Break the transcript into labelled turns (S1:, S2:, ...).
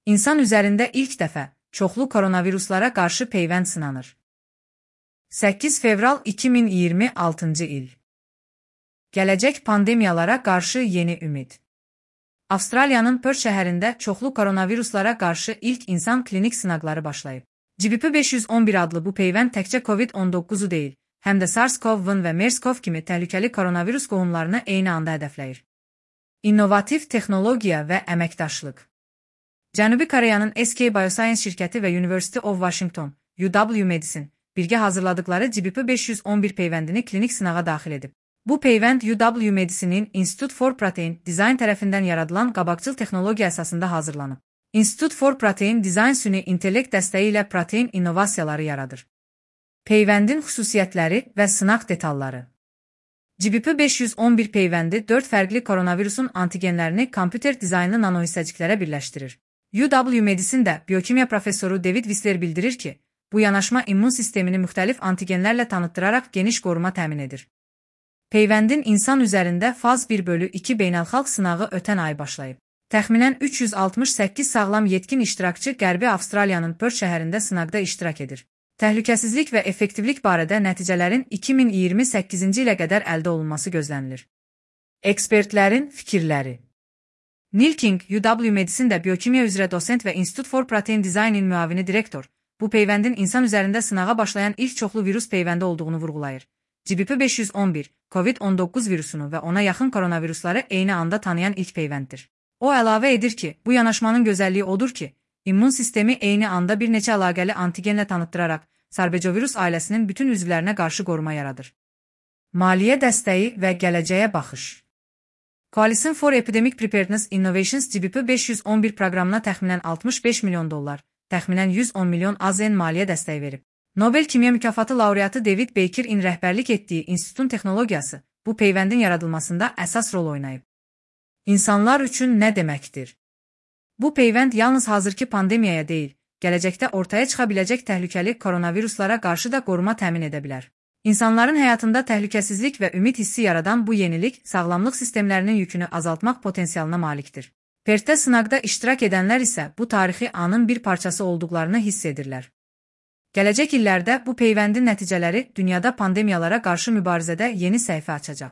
S1: İnsan üzərində ilk dəfə çoxlu koronaviruslara qarşı peyvənd sınanır. 8 fevral 2026 il. Gələcək pandemiyalara qarşı yeni ümid. Avstraliyanın Perth şəhərində çoxlu koronaviruslara qarşı ilk insan klinik sınaqları başlayıb. GBP511 adlı bu peyvənd təkcə COVID-19-u deyil, həm də SARS-CoV-1 və MERS-CoV kimi təhlükəli koronavirus qohumlarını eyni anda hədəfləyir. İnnovativ texnologiya və əməkdaşlıq. Cənubi Koreyanın SK Bioscience şirkəti və University of Washington, UW Medicine, birgə hazırladıkları GBP511 peyvəndini klinik sınağa daxil edib. Bu peyvənd UW Medicine'in Institute for Protein Design tərəfindən yaradılan qabaqcıl texnologiya əsasında hazırlanıb. Institute for Protein Design süni intellekt dəstəyi ilə protein innovasiyaları yaradır. Peyvəndin xüsusiyyətləri və sınaq detalları. GBP511 peyvəndi 4 fərqli koronavirusun antigenlərini kompüter dizaynlı nanohissəciklərə birləşdirir. UW Medicine-də biokimiya professoru David Whistler bildirir ki, bu yanaşma immun sistemini müxtəlif antigenlərlə tanıtdıraraq geniş qoruma təmin edir. Peyvəndin insan üzərində faz 1/2 beynəlxalq sınağı ötən ay başlayıb. Təxminən 368 sağlam yetkin iştirakçı Qərbi Avstraliyanın Perth şəhərində sınaqda iştirak edir. Təhlükəsizlik və effektivlik barədə nəticələrin 2028-ci ilə qədər əldə olunması gözlənilir. Ekspertlərin fikirləri. Neil King, UW Medicine-də biokimiya üzrə dosent və Institute for Protein Design-in müavini direktor, bu peyvəndin insan üzərində sınağa başlayan ilk çoxlu virus peyvəndi olduğunu vurğulayır. GBP511, COVID-19 virusunu və ona yaxın koronavirusları eyni anda tanıyan ilk peyvənddir. O əlavə edir ki, bu yanaşmanın gözəlliyi odur ki, immun sistemi eyni anda bir neçə əlaqəli antigenlə tanıtdıraraq sarbecovirus ailəsinin bütün üzvlərinə qarşı qoruma yaradır. Maliyyə dəstəyi və gələcəyə baxış. Coalition for Epidemic Preparedness Innovations GBP511 proqramına təxminən $65 milyon, təxminən 110 milyon AZN maliyyə dəstəyi verib. Nobel Kimya mükafatı laureatı David Baker-in rəhbərlik etdiyi institutun texnologiyası bu peyvəndin yaradılmasında əsas rol oynayıb. İnsanlar üçün nə deməkdir? Bu peyvənd yalnız hazırki pandemiyaya deyil, gələcəkdə ortaya çıxa biləcək təhlükəli koronaviruslara qarşı da qoruma təmin edə bilər. İnsanların həyatında təhlükəsizlik və ümid hissi yaradan bu yenilik sağlamlıq sistemlərinin yükünü azaltmaq potensialına malikdir. Perthdə sınaqda iştirak edənlər isə bu tarixi anın bir parçası olduqlarını hiss edirlər. Gələcək illərdə bu peyvəndin nəticələri dünyada pandemiyalara qarşı mübarizədə yeni səhifə açacaq.